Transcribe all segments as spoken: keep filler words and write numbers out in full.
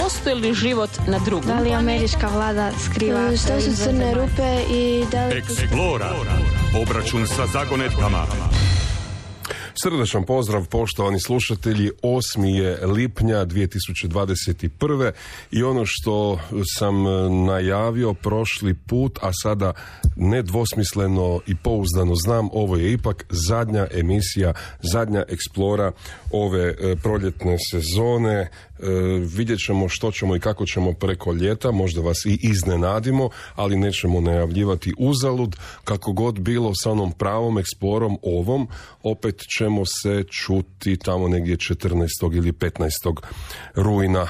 postoji li život na drugom? Da li američka vlada skriva? Što su crne rupe i da li... Explora. Obračun sa zagonetkama. Srdačan pozdrav, poštovani slušatelji. osmi je lipnja dvije tisuće dvadeset prve i ono što sam najavio prošli put, a sada nedvosmisleno i pouzdano znam, ovo je ipak zadnja emisija, zadnja Explora ove e, proljetne sezone. E, vidjet ćemo što ćemo i kako ćemo preko ljeta, možda vas i iznenadimo, ali nećemo najavljivati uzalud. Kako god bilo sa onom pravom Explorom ovom, opet ćemo se čuti tamo negdje četrnaestog ili petnaestog rujna,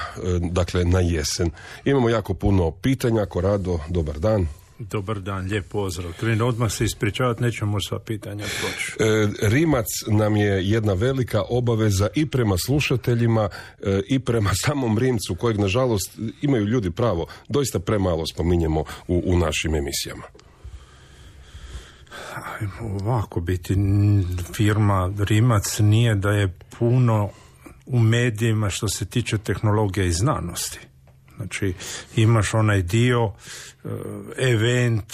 dakle na jesen. Imamo jako puno pitanja. Korado, dobar dan. Dobar dan, lijep pozdrav. Krenu odmah se ispričavati, nećemo sva pitanja proći. E, Rimac nam je jedna velika obaveza i prema slušateljima e, i prema samom Rimcu, kojeg nažalost imaju ljudi pravo, doista premalo spominjemo u, u našim emisijama. Ovako biti firma Rimac nije da je puno u medijima što se tiče tehnologije i znanosti. Znači imaš onaj dio event,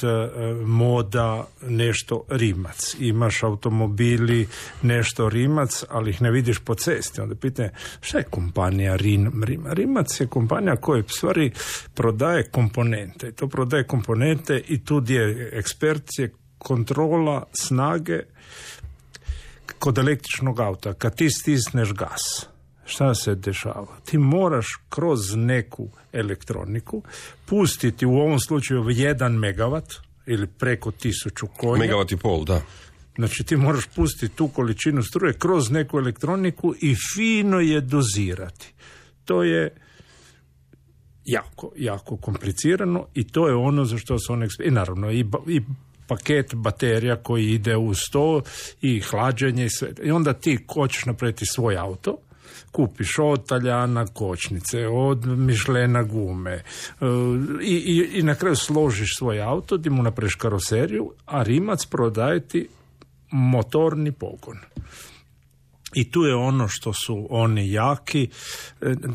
moda, nešto Rimac. Imaš automobili, nešto Rimac, ali ih ne vidiš po cesti. Onda pitanje, šta je kompanija Rim, Rim? Rimac je kompanija koja u stvari prodaje komponente. To prodaje komponente i tu je ekspercije, kontrola snage kod električnog auta. Kad ti stisneš gas, šta se dešava? Ti moraš kroz neku elektroniku pustiti u ovom slučaju jedan megavat ili preko tisuću konja. Megavat i pol, da. Znači ti moraš pustiti tu količinu struje kroz neku elektroniku i fino je dozirati. To je jako, jako komplicirano i to je ono za što su one... I naravno i, i paket baterija koji ide uz to i hlađenje i sve. I onda ti hoćeš napraviti svoj auto, kupiš od Taljana kočnice, od Mišlena gume i, i, i na kraju složiš svoj auto, di mu napraviš karoseriju, a Rimac prodaje ti motorni pogon. I tu je ono što su oni jaki.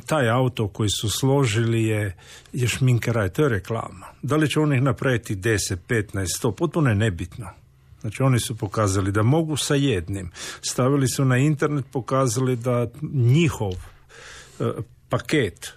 Taj auto koji su složili je, je šminkeraj, to je reklama. Da li će oni napraviti deset, petnaest, sto, potpuno je nebitno. Znači oni su pokazali da mogu sa jednim. Stavili su na internet, pokazali da njihov e, paket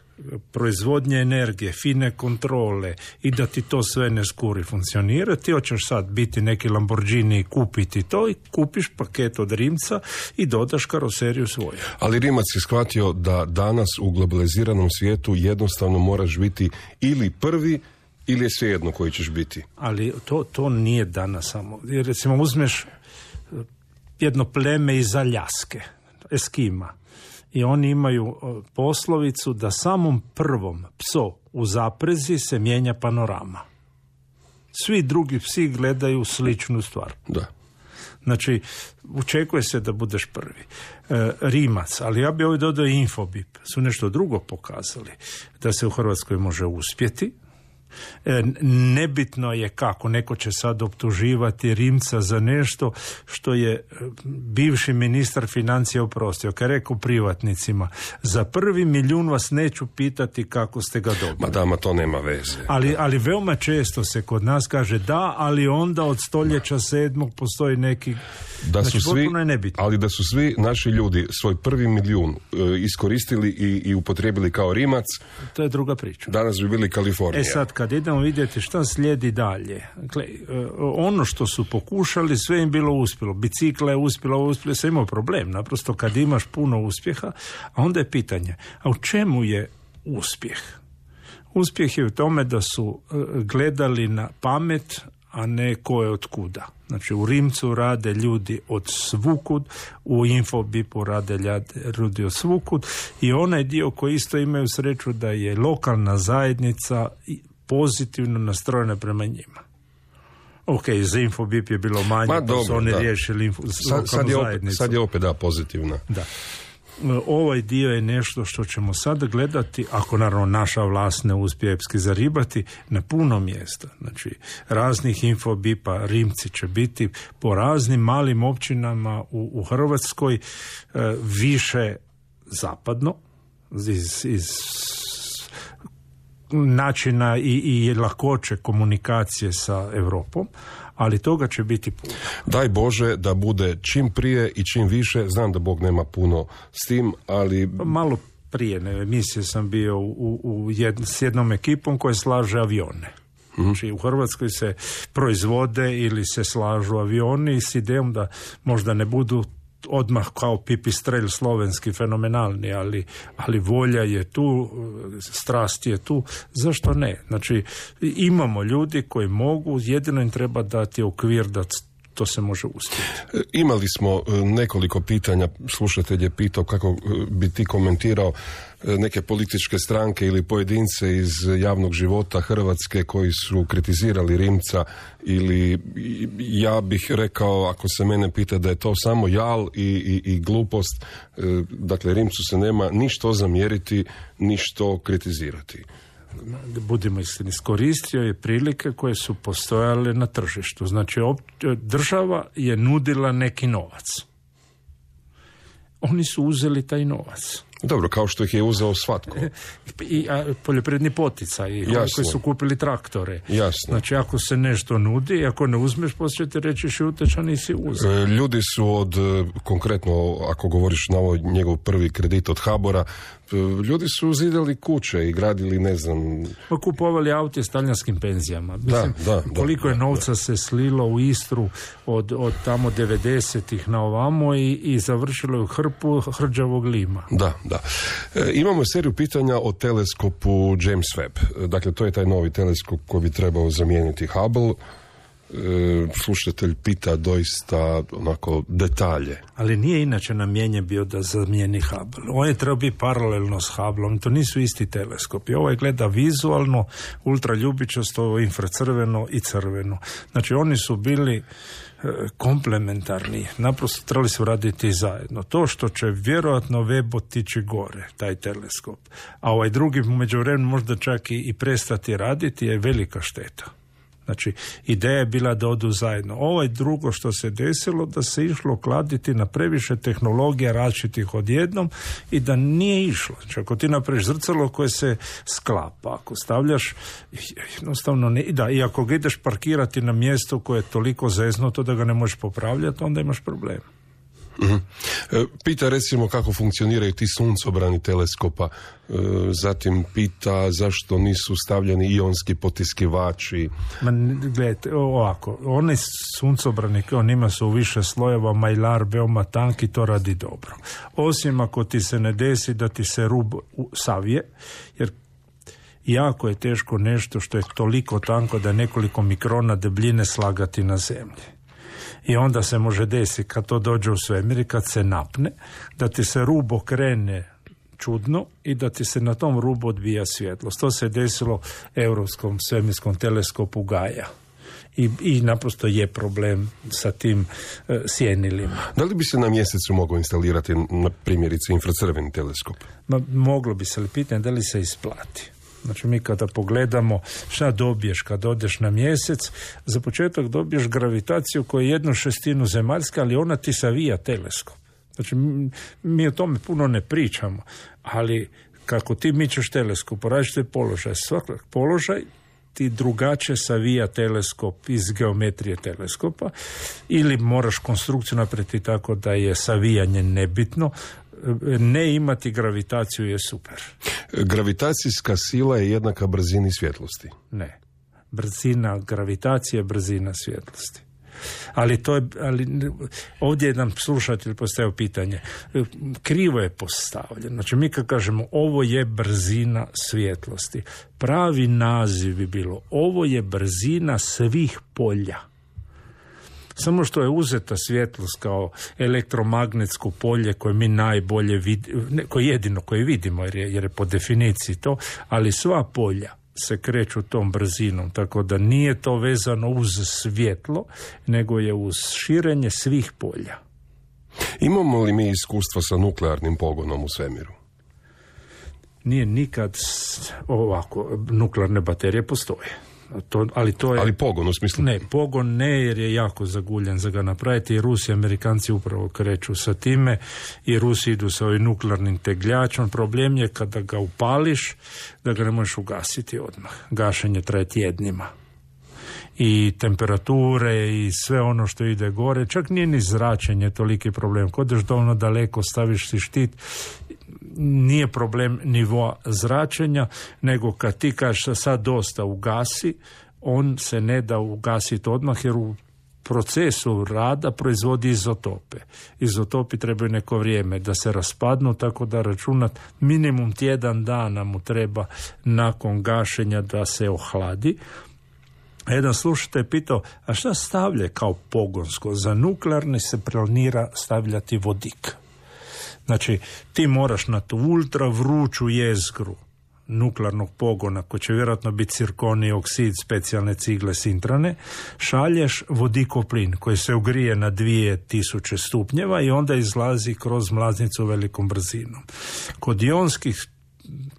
proizvodnje energije, fine kontrole i da ti to sve ne skuri funkcionira. Ti hoćeš sad biti neki Lamborghini i kupiti to i kupiš paket od Rimca i dodaš karoseriju svoju. Ali Rimac je shvatio da danas u globaliziranom svijetu jednostavno moraš biti ili prvi ili je svejedno koji ćeš biti. Ali to, to nije danas samo. Jer recimo uzmeš jedno pleme iz Aljaske, Eskima, i oni imaju poslovicu da samom prvom psu u zaprezi se mijenja panorama. Svi drugi psi gledaju sličnu stvar. Da. Znači, očekuje se da budeš prvi. E, Rimac, ali ja bi ovdje dodao i Infobip, su nešto drugo pokazali. Da se u Hrvatskoj može uspjeti. E, nebitno je kako, neko će sad optuživati Rimca za nešto što je bivši ministar financija oprostio, kad je rekao privatnicima, za prvi milijun vas neću pitati kako ste ga dobili. Ma da, ma to nema veze. Ali, ali veoma često se kod nas kaže da, ali onda od stoljeća sedmog postoji neki... Da su znači, svi, je nebitno. ali da su svi naši ljudi svoj prvi milijun e, iskoristili i, i upotrijebili kao Rimac, to je druga priča. Danas bi bili Kalifornija. E sad, kad idemo vidjeti šta slijedi dalje, dakle, ono što su pokušali, sve im bilo uspjelo. Bicikla je uspjela, uspjela, sve imao problem. Naprosto kad imaš puno uspjeha, a onda je pitanje, a u čemu je uspjeh? Uspjeh je u tome da su gledali na pamet, a ne ko je od kuda. Znači u Rimcu rade ljudi od svukud, u Infobipu rade ljudi od svukud i onaj dio koji isto imaju sreću da je lokalna zajednica pozitivno nastrojena prema njima. Ok, za Infobip je bilo manje, Ma, pa dobro, su oni da. riješili info, sad, sad, je opet, sad je opet da pozitivna. Da. Ovaj dio je nešto što ćemo sad gledati, ako naravno naša vlast ne uspije epski zaribati, na puno mjesta. Znači, raznih Infobipa, Rimci će biti po raznim malim općinama u, u Hrvatskoj, e, više zapadno, iz, iz načina i, i lakoće komunikacije sa Europom, ali toga će biti puno. Daj Bože da bude čim prije i čim više. Znam da Bog nema puno s tim, ali... Malo prije ne, emisije sam bio u, u jed, s jednom ekipom koja slaže avione. Znači u Hrvatskoj se proizvode ili se slažu avioni s idejom da možda ne budu odmah kao pipistrelj slovenski fenomenalni, ali, ali volja je tu, strast je tu, zašto ne? Znači imamo ljudi koji mogu, jedino im treba dati okvir da to se može uspjeti. Imali smo nekoliko pitanja, slušatelj je pitao kako bi ti komentirao neke političke stranke ili pojedince iz javnog života Hrvatske koji su kritizirali Rimca, ili ja bih rekao, ako se mene pita, da je to samo jal i, i, i glupost. Dakle, Rimcu se nema ništo zamjeriti, ništo kritizirati. Budimo iskreni, iskoristio je prilike koje su postojale na tržištu. Znači, država je nudila neki novac. Oni su uzeli taj novac. Dobro, kao što ih je uzeo svatko. I a, poljoprivredni poticaj, koji su kupili traktore. Jasno. Znači, ako se nešto nudi, ako ne uzmeš, poslije ti reći šuteć, a nisi uzeo. Ljudi su od, konkretno, ako govoriš na ovo njegov prvi kredit od HBOR-a, ljudi su zidali kuće i gradili, ne znam... Pa kupovali aute s talijanskim penzijama. Mislim, da, da, koliko da, je novca da. se slilo u Istru od, od tamo devedesetih na ovamo i, i završilo je u hrpu hrđavog lima. Da, da. E, imamo seriju pitanja o teleskopu James Webb. Dakle, to je taj novi teleskop koji bi trebao zamijeniti Hubble. E, slušatelj pita doista onako detalje. Ali nije inače namijenjen bio da zamijeni Hubble. On je trebao biti paralelno s Hubbleom. To nisu isti teleskopi. Ovaj gleda vizualno, ultraljubičasto, infracrveno i crveno. Znači oni su bili komplementarni, naprosto trebali su raditi zajedno. To što će vjerojatno Webb otići gore, taj teleskop, a ovaj drugi u međuvremenu možda čak i, i prestati raditi, je velika šteta. Znači, ideja je bila da odu zajedno. Ovaj drugo što se desilo, da se išlo kladiti na previše tehnologija različitih odjednom i da nije išlo. Znači, ako ti napraviš zrcalo koje se sklapa, ako stavljaš, jednostavno ne, da, i ako ga ideš parkirati na mjesto koje je toliko zeznuto da ga ne možeš popravljati, onda imaš problem. Mm-hmm. Pita recimo kako funkcioniraju ti suncobrani teleskopa, zatim pita zašto nisu stavljeni ionski potiskivači. Ma, gledajte, ovako, one suncobrani kao njima su u više slojeva, majlar veoma tanki, to radi dobro. Osim ako ti se ne desi da ti se rub savije, jer jako je teško nešto što je toliko tanko da nekoliko mikrona debljine slagati na zemlji. I onda se može desiti kad to dođe u svemir i kad se napne, da ti se rub okrene čudno i da ti se na tom rubu odbija svjetlost. To se desilo Europskom svemirskom teleskopu Gaia. I, i naprosto je problem sa tim e, sjenilima. Da li bi se na mjesecu mogao instalirati na primjerice infracrveni teleskop? Ma, moglo bi se, ali pitanje da li se isplati. Znači mi kada pogledamo šta dobiješ kad odeš na mjesec, za početak dobiješ gravitaciju koja je jednu šestinu zemaljska, ali ona ti savija teleskop. Znači mi, mi o tome puno ne pričamo, ali kako ti mičeš teleskop, različite položaj, svakak položaj ti drugačije savija teleskop iz geometrije teleskopa, ili moraš konstrukciju napraviti tako da je savijanje nebitno. Ne imati gravitaciju je super. Gravitacijska sila je jednaka brzini svjetlosti. Ne. Brzina gravitacije je brzina svjetlosti. Ali to je, ali ovdje je nam slušatelj postavio pitanje. Krivo je postavljeno. Znači mi kad kažemo ovo je brzina svjetlosti, pravi naziv bi bilo ovo je brzina svih polja. Samo što je uzeta svjetlost kao elektromagnetsko polje koje mi najbolje vidimo, koje jedino koje vidimo jer je, jer je po definiciji to, ali sva polja se kreću tom brzinom, tako da nije to vezano uz svjetlo, nego je uz širenje svih polja. Imamo li mi iskustva sa nuklearnim pogonom u svemiru? Nije nikad ovako, nuklearne baterije postoje. To, ali, to je, ali pogon u smislu? Ne, pogon ne, jer je jako zaguljen za ga napraviti i Rusi i Amerikanci upravo kreću sa time i Rusi idu sa ovim nuklearnim tegljačom. Problem je kada ga upališ da ga ne možeš ugasiti odmah. Gašenje traje tjednima. I temperature i sve ono što ide gore, čak nije ni zračenje toliki problem. Kod odeš dovoljno daleko, staviš si štit, nije problem nivoa zračenja, nego kad ti kažeš sad dosta ugasi, on se ne da ugasiti odmah jer u procesu rada proizvodi izotope. Izotopi trebaju neko vrijeme da se raspadnu, tako da računat minimum tjedan dana mu treba nakon gašenja da se ohladi. Jedan slušatelj je pitao, a šta stavlja kao pogonsko? Za nuklearni se planira stavljati vodik. Znači, ti moraš na tu ultra vruću jezgru nuklearnog pogona, koji će vjerojatno biti cirkonij oksid, specijalne cigle sintrane, šalješ vodikov plin koji se ugrije na dvije tisuće stupnjeva i onda izlazi kroz mlaznicu velikom brzinom. Kod ionskih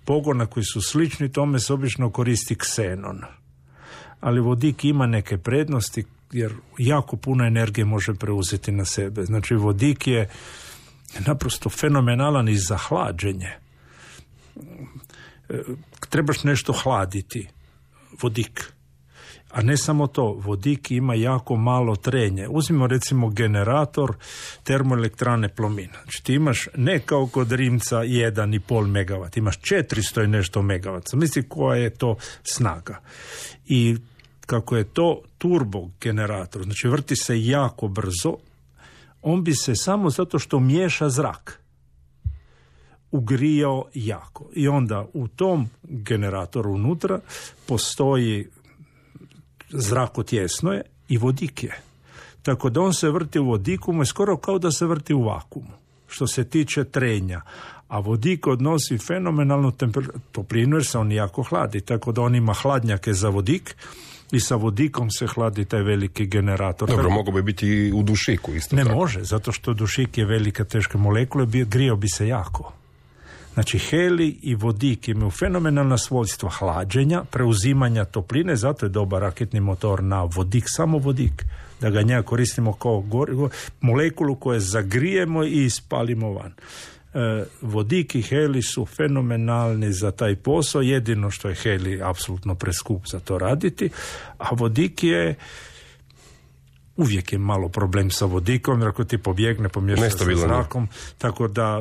pogona koji su slični tome se obično koristi ksenon. Ali vodik ima neke prednosti jer jako puno energije može preuzeti na sebe. Znači vodik je naprosto fenomenalan i za hlađenje. Trebaš nešto hladiti, vodik. A ne samo to, vodik ima jako malo trenje. Uzmimo recimo generator termoelektrane Plomin. Znači ti imaš ne kao kod Rimca jedan i pol megavat, imaš četiristo i nešto megavata. Misli koja je to snaga. I kako je to turbo generator, znači vrti se jako brzo, on bi se samo zato što miješa zrak ugrijao jako. I onda u tom generatoru unutra postoji zrakotjesno je i vodik je. Tako da on se vrti u vodiku, mu je skoro kao da se vrti u vakuumu, što se tiče trenja. A vodik odnosi fenomenalnu temperaturu, toplinu jer se on jako hladi, tako da on ima hladnjake za vodik i sa vodikom se hladi taj veliki generator. Dobro, mogu bi biti i u dušiku isto ne tako. Može, zato što dušik je velika teška molekula, grijao bi se jako. Znači, helij i vodik imaju fenomenalna svojstva hlađenja, preuzimanja topline, zato je dobar raketni motor na vodik, samo vodik, da ga njega koristimo kao gorivo, molekulu koje zagrijemo i ispalimo van. E, vodik i helij su fenomenalni za taj posao, jedino što je helij apsolutno preskup za to raditi, a vodik je uvijek je malo problem sa vodikom, jer ako ti pobjegne, pomješa sa zrakom, tako da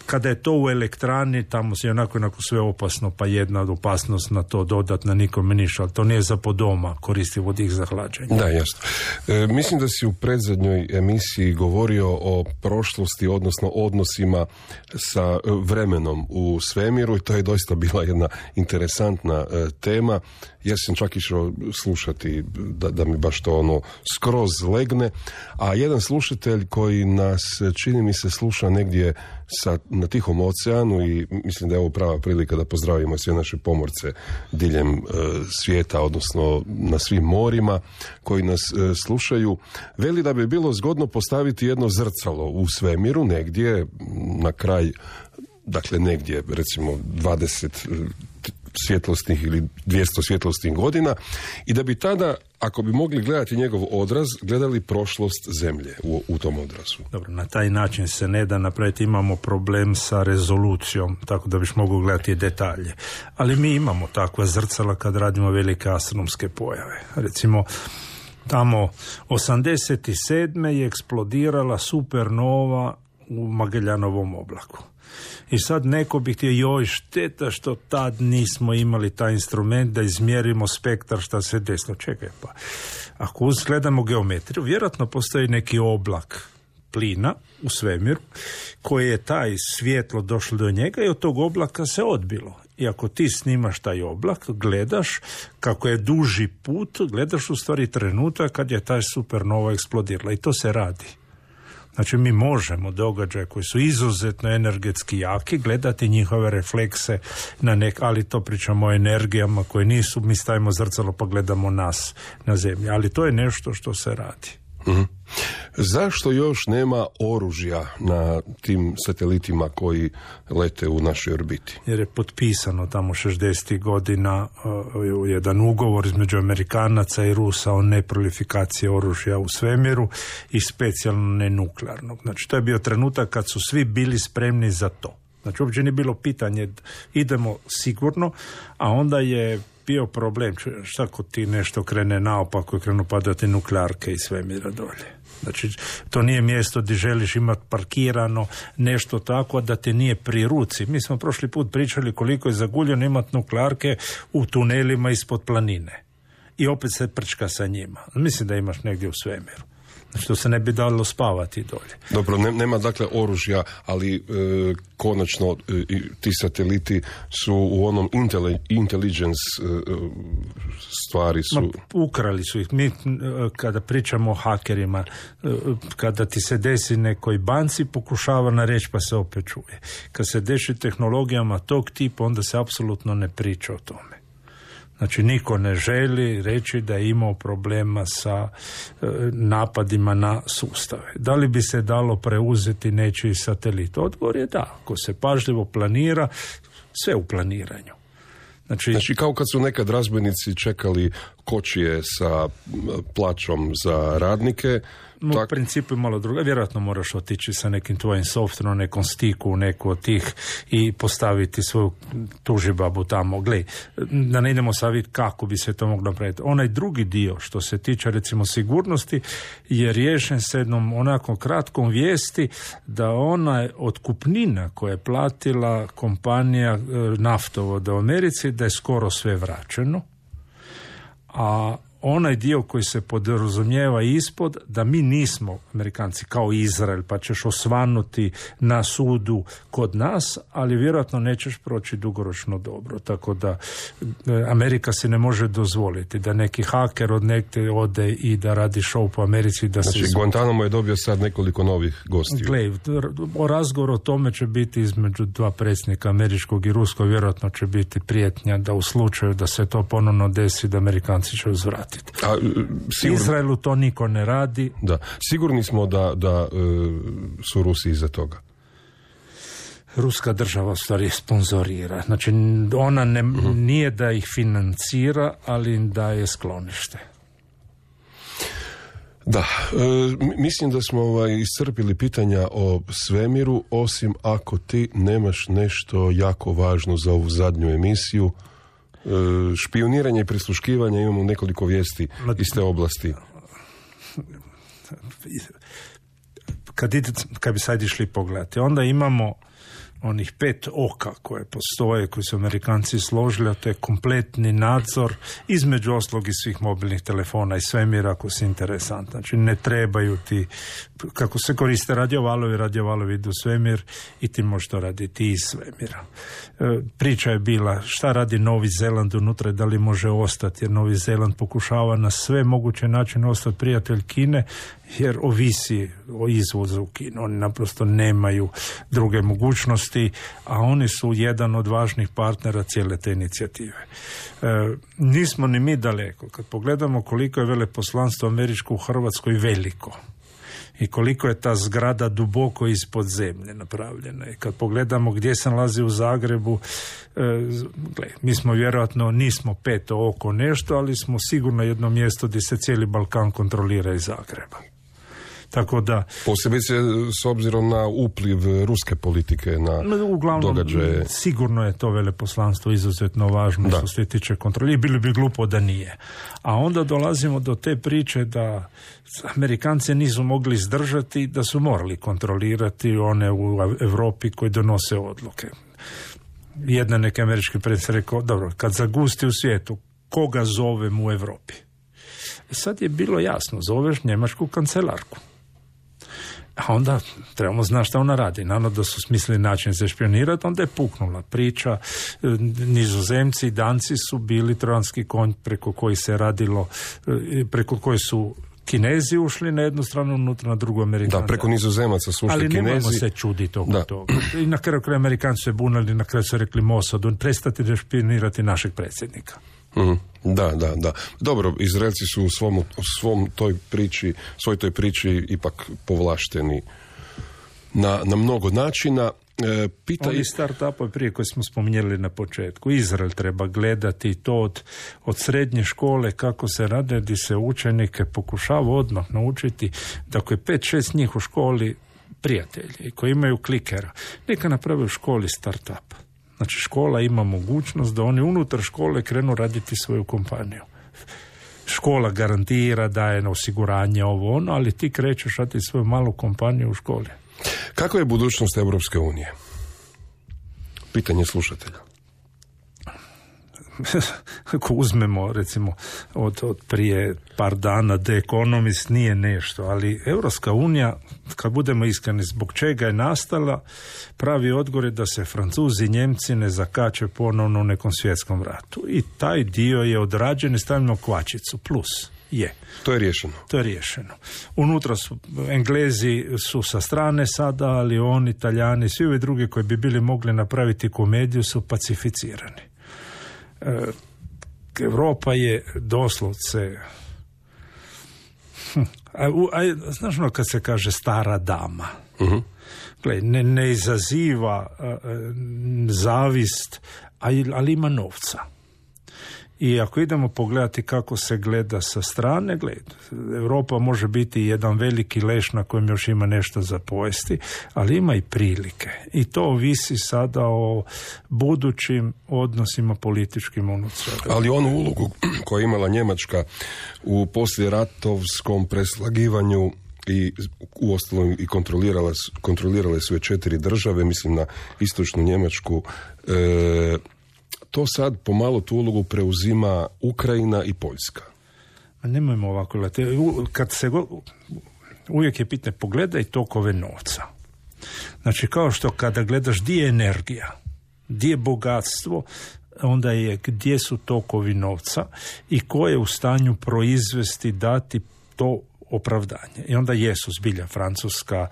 kada je to u elektrani, tamo se onako, onako sve opasno, pa jedna od opasnost na to dodatna nikome ništa, ali to nije za po doma, koristi vodik za hlađenje. Da, jasno. E, mislim da si u predzadnjoj emisiji govorio o prošlosti, odnosno odnosima sa vremenom u svemiru i to je doista bila jedna interesantna e, tema. Ja sam čak išao slušati da, da mi baš to ono skroz legne, a jedan slušatelj koji nas, čini mi se, sluša negdje sa, na Tihom oceanu i mislim da je ovo prava prilika da pozdravimo sve naše pomorce diljem e, svijeta, odnosno na svim morima koji nas e, slušaju, veli da bi bilo zgodno postaviti jedno zrcalo u svemiru negdje na kraj, dakle negdje recimo dvadeset svjetlosnih ili dvjesto svjetlosnih godina i da bi tada, ako bi mogli gledati njegov odraz, gledali prošlost zemlje u, u tom odrazu. Dobro, na taj način se ne da napraviti, imamo problem sa rezolucijom, tako da biš mogao gledati detalje. Ali mi imamo takva zrcala kad radimo velike astronomske pojave. Recimo, tamo osamdeset sedme je eksplodirala supernova u Magellanovom oblaku. I sad neko bi htio, joj, šteta što tad nismo imali taj instrument da izmjerimo spektar šta se desilo. Čekaj, pa ako uzgledamo geometriju, vjerojatno postoji neki oblak plina u svemiru koji je taj svjetlo došlo do njega i od tog oblaka se odbilo. I ako ti snimaš taj oblak, gledaš kako je duži put, gledaš u stvari trenutak kad je taj supernova eksplodirala i to se radi. Znači mi možemo događaje koji su izuzetno energetski jaki gledati njihove reflekse na nek, ali to pričamo o energijama koje nisu, mi stavimo zrcalo pa gledamo nas na zemlji, ali to je nešto što se radi. Mm-hmm. Zašto još nema oružja na tim satelitima koji lete u našoj orbiti? Jer je potpisano tamo šezdesetih godina uh, jedan ugovor između Amerikanaca i Rusa o neprolifikaciji oružja u svemiru i specijalno nenuklearnog. Znači, to je bio trenutak kad su svi bili spremni za to. Znači, uopće nije bilo pitanje, idemo sigurno, a onda je bio problem, šta ako ti nešto krene naopako i krenu padati nuklearke iz svemira dolje. Znači, to nije mjesto gdje želiš imati parkirano nešto tako da te nije pri ruci. Mi smo prošli put pričali koliko je zaguljeno imati nuklearke u tunelima ispod planine. I opet se prčka sa njima. Mislim da imaš negdje u svemiru. Znači, to se ne bi dalo spavati dolje. Dobro, ne, nema dakle oružja, ali e, konačno e, ti sateliti su u onom intele, intelligence e, stvari su... Ma, ukrali su ih. Mi kada pričamo o hakerima, e, kada ti se desi nekoj banci, pokušava na reći pa se opet čuje. Kad se deši tehnologijama tog tipa, onda se apsolutno ne priča o tome. Znači, niko ne želi reći da je imao problema sa e, napadima na sustave. Da li bi se dalo preuzeti nečiji satelit? Odgovor je da. Ako se pažljivo planira, sve u planiranju. Znači, znači kao kad su nekad razbojnici čekali kočije sa plaćom za radnike. U tak... principu je malo druga. Vjerojatno moraš otići sa nekim tvojim softverom, nekom stiku u neku od tih i postaviti svoju tužibabu tamo. Gle, da ne idemo sad vidjeti kako bi se to moglo napraviti. Onaj drugi dio što se tiče recimo sigurnosti je riješen s jednom onako kratkom vijesti da ona otkupnina koja je platila kompanija naftovoda u Americi da je skoro sve vraćeno. A onaj dio koji se podrazumijeva ispod, da mi nismo Amerikanci kao Izrael, pa ćeš osvanuti na sudu kod nas, ali vjerojatno nećeš proći dugoročno dobro. Tako da Amerika se ne može dozvoliti da neki haker od nekde ode i da radi show po Americi. Da znači, se Guantanamo je dobio sad nekoliko novih gostiju. Gle, o razgovoru o tome će biti između dva predsjednika američkog i ruskog, vjerojatno će biti prijetnja da u slučaju da se to ponovno desi, da Amerikanci će uzvratiti. A, sigurno, Izraelu to niko ne radi. Da. Sigurni smo da, da e, su Rusi iza toga. Ruska država u stvari sponzorira. Znači, ona ne, uh-huh. nije da ih financira, ali da je sklonište. Da, e, mislim da smo ovaj, iscrpili pitanja o svemiru, osim ako ti nemaš nešto jako važno za ovu zadnju emisiju. Špioniranje i prisluškivanje, imamo nekoliko vijesti iz te oblasti. Kad, ide, kad bi sad išli pogledati, onda imamo onih pet oka koje postoje, koji su Amerikanci složili, a to je kompletni nadzor između oslog i svih mobilnih telefona i svemira ako si interesant. Znači, ne trebaju ti, kako se koriste radiovalovi, radiovalovi idu u svemir i ti možeš to raditi iz svemira. E, priča je bila šta radi Novi Zeland unutra, da li može ostati, jer Novi Zeland pokušava na sve moguće načine ostati prijatelj Kine, jer ovisi o izvozu u Kinu. Oni naprosto nemaju druge mogućnosti, a oni su jedan od važnih partnera cijele te inicijative. E, nismo ni mi daleko. Kad pogledamo koliko je veleposlanstvo američko u Hrvatskoj veliko i koliko je ta zgrada duboko ispod zemlje napravljena. I kad pogledamo gdje se nalazi u Zagrebu, e, gle, mi smo vjerojatno, nismo peto oko nešto, ali smo sigurno jedno mjesto gdje se cijeli Balkan kontrolira iz Zagreba. Tako da... Posebice s obzirom na upliv ruske politike na uglavnom, događaje. Sigurno je to veleposlanstvo izuzetno važno što se tiče kontrole i bilo bi glupo da nije. A onda dolazimo do te priče da Amerikanci nisu mogli izdržati, da su morali kontrolirati one u Europi koji donose odluke. Jedan neki američki predsjednik rekao, dobro, kad zagusti u svijetu, koga zovem u Europi? I sad je bilo jasno, zoveš njemačku kancelarku. A onda trebamo znati šta ona radi. Naravno da su smislili način za špionirati, onda je puknula priča. Nizozemci i Danci su bili trojanski konj preko koji se radilo, preko koji su Kinezi ušli na jednu stranu, unutra na drugu Amerikanci. Da, preko Nizozemaca su ušli ali Kinezi. Ali nemamo se čuditi oko toga. I na kraju kraju Amerikanci se bunali, na kraju su rekli Mossadu, prestati da špionirati našeg predsjednika. Mm, da, da, da. Dobro, Izraelci su u svom, u svom toj priči, svoj toj priči ipak povlašteni na, na mnogo načina. E, pita Ovi start-upovi prije koje smo spominjali na početku. Izrael treba gledati to od, od srednje škole kako se rade, gdje se učenike pokušava odmah naučiti da ako je pet šest njih u školi prijatelji koji imaju klikera, neka naprave u školi start-up. Znači škola ima mogućnost da oni unutar škole krenu raditi svoju kompaniju. Škola garantira, daje na osiguranje ovo ono, ali ti krećeš raditi svoju malu kompaniju u školi. Kako je budućnost Europske unije? Pitanje slušatelja. Ako uzmemo recimo od, od prije par dana The Economist nije nešto, ali Europska unija, kad budemo iskreni zbog čega je nastala, pravi odgovor je da se Francuzi i Njemci ne zakače ponovno u nekom svjetskom ratu. I taj dio je odrađen i stavljeno kvačicu, plus je. To je riješeno. To je riješeno. Unutra su, Englezi su sa strane sada, ali oni, Italijani, svi ovi drugi koji bi bili mogli napraviti komediju su pacificirani. E, Europa je doslovce a, a, znaš ono kad se kaže stara dama, uh-huh. Gle, ne, ne izaziva a, a, zavist, a, ali ima novca. I ako idemo pogledati kako se gleda sa strane, gled, Europa može biti jedan veliki leš na kojem još ima nešto za pojesti, ali ima i prilike. I to ovisi sada o budućim odnosima političkim unutar. Ali onu ulogu koju je imala Njemačka u poslijeratovskom preslagivanju i uostalom i kontrolirale, kontrolirale su je četiri države, mislim na istočnu Njemačku, e, to sad pomalo tu ulogu preuzima Ukrajina i Poljska. A nemojmo ovako gledati. Kad se go, uvijek je pitanje, pogledaj tokove novca. Znači kao što kada gledaš gdje je energija, gdje je bogatstvo, onda je gdje su tokovi novca i ko je u stanju proizvesti, dati to opravdanje. I onda jesu zbilja Francuska,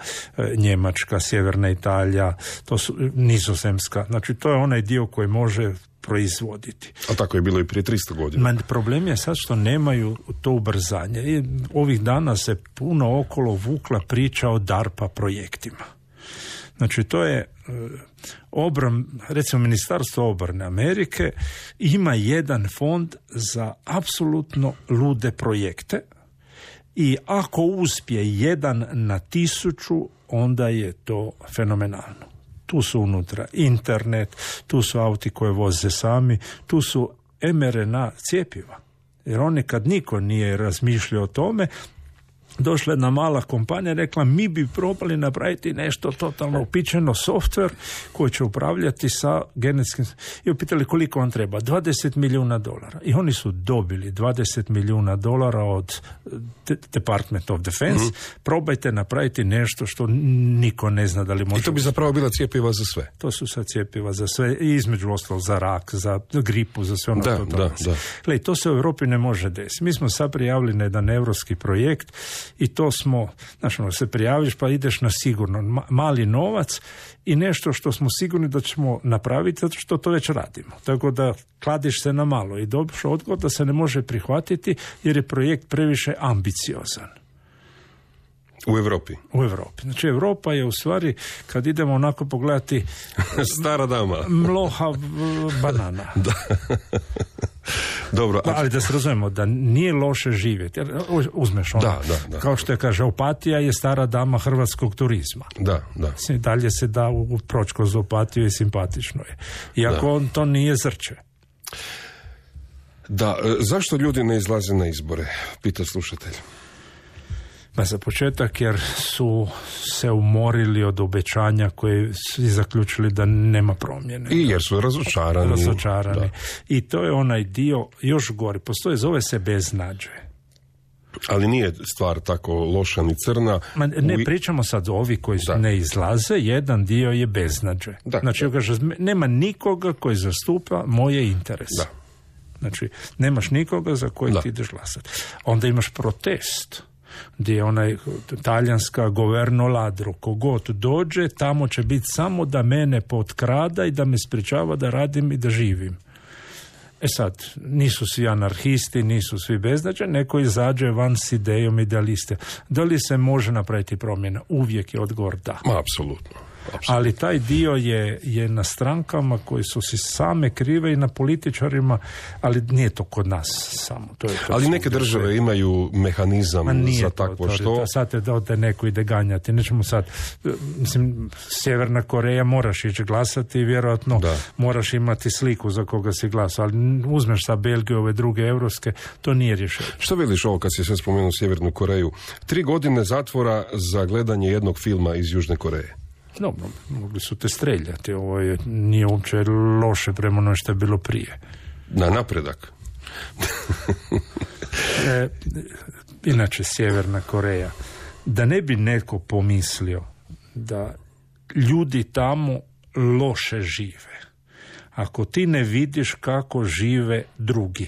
Njemačka, Sjeverna Italija, to su Nizozemska. Znači to je onaj dio koji može proizvoditi. A tako je bilo i prije tristo godina. Ma, problem je sad što nemaju to ubrzanje. I ovih dana se puno okolo vukla priča o DARPA projektima. Znači to je obran, recimo Ministarstvo obrane Amerike ima jedan fond za apsolutno lude projekte i ako uspije jedan na tisuću, onda je to fenomenalno. Tu su unutra internet, tu su auti koje voze sami, tu su em er en a cjepiva. Jer oni kad niko nije razmišljao o tome, došla jedna mala kompanija i rekla mi bi probali napraviti nešto totalno upičeno, softver koji će upravljati sa genetskim... I upitali koliko vam treba? dvadeset milijuna dolara. I oni su dobili dvadeset milijuna dolara od Department of Defense. Mm-hmm. Probajte napraviti nešto što niko ne zna da li može... I to bi zapravo bila cjepiva za sve. To su sad cjepiva za sve. I između ostalog za rak, za gripu, za sve ono da, što to da, da. Gle, to se u Europi ne može desiti. Mi smo sad prijavili na jedan europski projekt i to smo, znaš, ono, se prijaviš pa ideš na sigurno ma, mali novac i nešto što smo sigurni da ćemo napraviti zato što to već radimo. Tako da kladiš se na malo i dobiš odgovor da se ne može prihvatiti jer je projekt previše ambiciozan. U Europi? U Europi. Znači Europa je u stvari, kad idemo onako pogledati... Stara dama. Mloha banana. Da. Dobro. Da, ali da se razumemo, da nije loše živjeti. Uzmeš ono, da, da, da. Kao što je kaže, Opatija je stara dama hrvatskog turizma. Da, da. Dalje se da u proći kroz Opatiju i simpatično je. Iako on to nije zrče. Da, zašto ljudi ne izlaze na izbore? Pita slušatelj. Ma za početak jer su se umorili od obećanja koje su zaključili da nema promjene. I jer su razočarani. Razočarani. Da. I to je onaj dio još gore. Postoje, zove se beznađe. Ali nije stvar tako loša ni crna. Ma ne pričamo sad o ovi koji da. ne izlaze, jedan dio je beznađe. Da. Znači, kaže, nema nikoga koji zastupa moje interese. Da. Znači, nemaš nikoga za koji da. ti ideš glasati. Onda imaš protest. Gdje je onaj talijanska governo ladro, kogod dođe, tamo će biti samo da mene potkrada i da me sprečava da radim i da živim. E sad, nisu svi anarhisti, nisu svi beznađeni, neko izađe van s idejom idealiste. Da li se može napraviti promjena? Uvijek je odgovor da. Ma, apsolutno. Ali taj dio je, je na strankama koji su si same krive i na političarima, ali nije to kod nas samo. To je to ali neke svugdje. države imaju mehanizam za takvo to, što. Sad te da te neko ide ganjati. Nećemo sad, mislim, Sjeverna Koreja moraš ići glasati i vjerojatno da. moraš imati sliku za koga si glasao, ali uzmeš sa Belgije, ove druge europske, to nije rješenje. Što vidiš ovo kad si sve spomenuo Sjevernu Koreju? Tri godine zatvora za gledanje jednog filma iz Južne Koreje. No, mogli su te streljati. Ovo je, nije uopće loše prema ono što je bilo prije. Na napredak. e, inače, Sjeverna Koreja. Da ne bi neko pomislio da ljudi tamo loše žive. Ako ti ne vidiš kako žive drugi.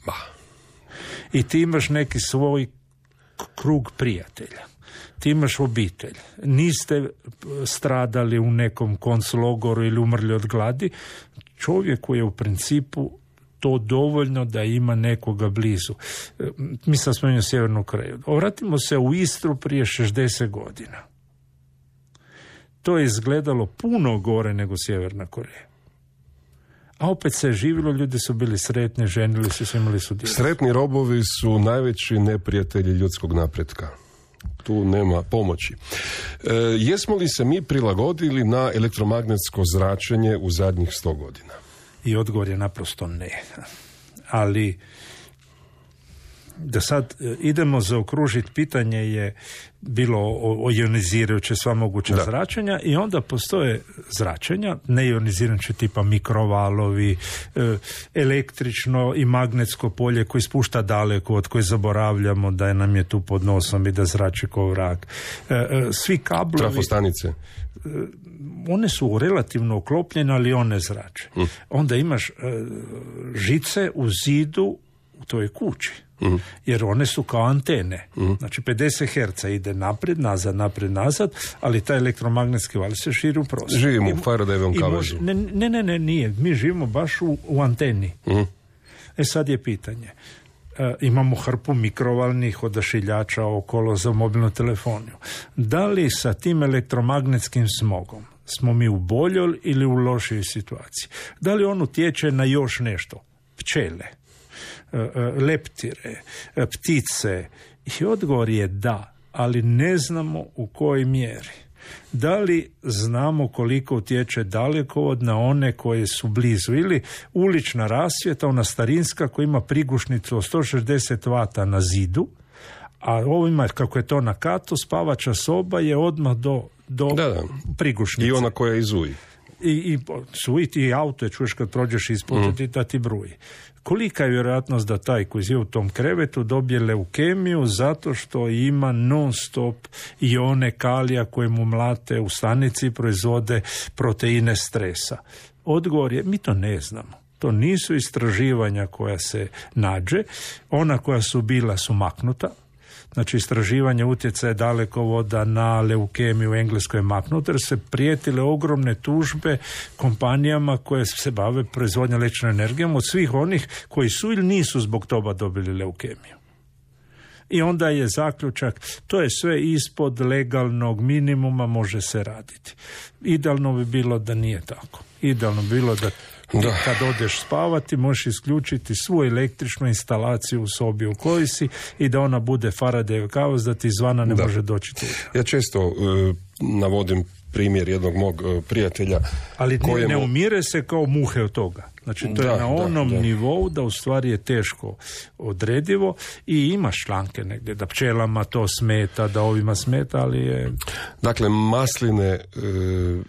Bah. I ti imaš neki svoj krug prijatelja. Ti imaš obitelj, niste stradali u nekom konclogoru ili umrli od gladi, čovjeku je u principu to dovoljno da ima nekoga blizu. Mi sam spomenuo Sjevernu Koreju. Vratimo se u Istru prije šezdeset godina. To je izgledalo puno gore nego Sjeverna Koreja. A opet se je živjelo, ljudi su bili sretni, ženili su se, imali su djecu. Sretni robovi su najveći neprijatelji ljudskog napretka. Tu nema pomoći. E, jesmo li se mi prilagodili na elektromagnetsko zračenje u zadnjih sto godina? I odgovor je naprosto ne. Ali da sad idemo zaokružiti, pitanje je bilo o, o ionizirajuće sva moguća da. zračenja i onda postoje zračenja, neionizirajuće tipa mikrovalovi, e, električno i magnetsko polje koji spušta daleko, od koje zaboravljamo da je nam je tu pod nosom i da zrači ko vrag. E, e, svi kablovi... Trafostanice. One su relativno uklopljene, ali one zrače. Mm. Onda imaš e, žice u zidu u toj kući. Mm. Jer one su kao antene. Mm. Znači pedeset herca ide naprijed, nazad, naprijed, nazad, ali taj elektromagnetski val se širi u prostor. Živimo u Faradayevom kavezu. Ne, ne, ne, ne, nije. Mi živimo baš u, u anteni. Mm. E sad je pitanje. E, imamo hrpu mikrovalnih odašiljača okolo za mobilnu telefoniju. Da li sa tim elektromagnetskim smogom smo mi u boljoj ili u lošoj situaciji? Da li on utječe na još nešto? Pčele, leptire, ptice. I odgovor je da, ali ne znamo u kojoj mjeri. Da li znamo koliko utječe dalekovod na one koje su blizu, ili ulična rasvjeta, ona starinska koja ima prigušnicu od sto šezdeset vata na zidu, a ovima, kako je to na katu, spavača soba je odmah do, do da, da. prigušnice. I ona koja izuji. I, i suiti i auto je, čuješ kad prođeš ispod mm. da ti bruji. Kolika je vjerojatnost da taj koji je u tom krevetu dobije leukemiju zato što ima non stop ione kalija koje mu mlate u stanici, proizvode proteine stresa? Odgovor je, mi to ne znamo. To nisu istraživanja koja se nađe. Ona koja su bila su maknuta. Znači, istraživanje utjecaja dalekovoda na leukemiju u Engleskoj je maknuto, jer se prijetile ogromne tužbe kompanijama koje se bave proizvodnjom električnom energijom od svih onih koji su ili nisu zbog toga dobili leukemiju. I onda je zaključak, to je sve ispod legalnog minimuma, može se raditi. Idealno bi bilo da nije tako. Idealno bi bilo da Da. Kad odeš spavati, možeš isključiti svu električnu instalaciju u sobi u kojoj si i da ona bude Faradayov kavez, da ti izvana ne da. može doći tu. Ja često uh, navodim primjer jednog mog uh, prijatelja. Ali kojemu... ne umire se kao muhe od toga. Znači, to da, je na onom da, da. nivou da u stvari je teško odredivo i ima članke negdje da pčelama to smeta, da ovima smeta, ali je... Dakle, masline... Uh...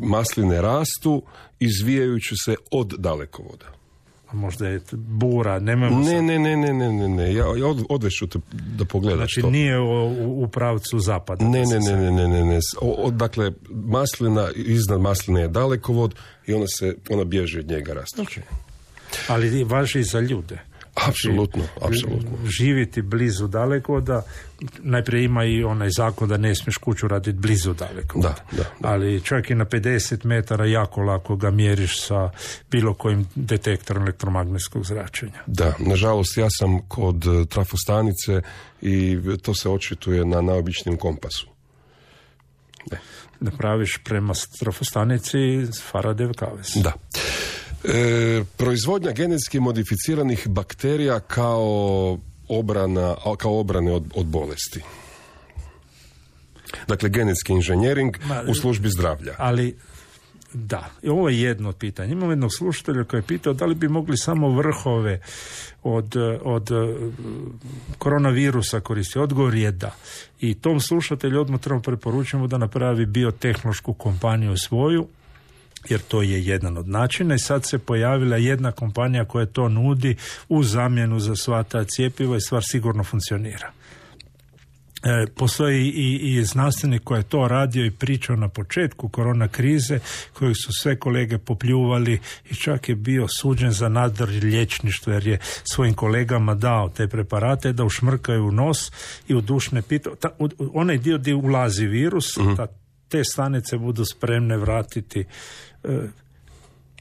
masline rastu izvijajući se od dalekovoda. A možda je bura, nemamo ne, sad... ne, ne, ne, ne, ne, ne, ja, ja odveću te da pogledaš znači, to. Znači nije u, u pravcu zapada. Ne, ne, ne, ne, ne, ne, ne. O, o, dakle, maslina, iznad masline je dalekovod i ona se, ona bježi od njega rastući. Okay. Ali važi i za ljude. Apsolutno, apsolutno. Živjeti blizu dalekovoda, najprije ima i onaj zakon da ne smiješ kuću raditi blizu dalekovoda. Da, da, da. Ali čak i na pedeset metara jako lako ga mjeriš sa bilo kojim detektorom elektromagnetskog zračenja. Da, nažalost ja sam kod trafostanice i to se očituje na najobičnijem kompasu. Ne. Da praviš prema trafostanici Faradayjev kavez. Da. E, proizvodnja genetski modificiranih bakterija kao obrana, kao obrane od, od bolesti. Dakle, genetski inženjering Ma, u službi zdravlja. Ali, da, ovo je jedno od pitanja. Imamo jednog slušatelja koji je pitao da li bi mogli samo vrhove od, od koronavirusa koristiti. Odgovor je da. I tom slušatelju odmah trebamo preporučiti da napravi biotehnološku kompaniju svoju, jer to je jedan od načina i sad se pojavila jedna kompanija koja to nudi u zamjenu za sva ta cjepiva i stvar sigurno funkcionira. E, postoji i, i znanstvenik koji je to radio i pričao na početku korona krize, kojeg su sve kolege popljuvali i čak je bio suđen za nadar liječništvo jer je svojim kolegama dao te preparate da ušmrkaju u nos i u dušne pitove. Onaj dio gdje ulazi virus, uh-huh. ta, te stanice budu spremne vratiti e,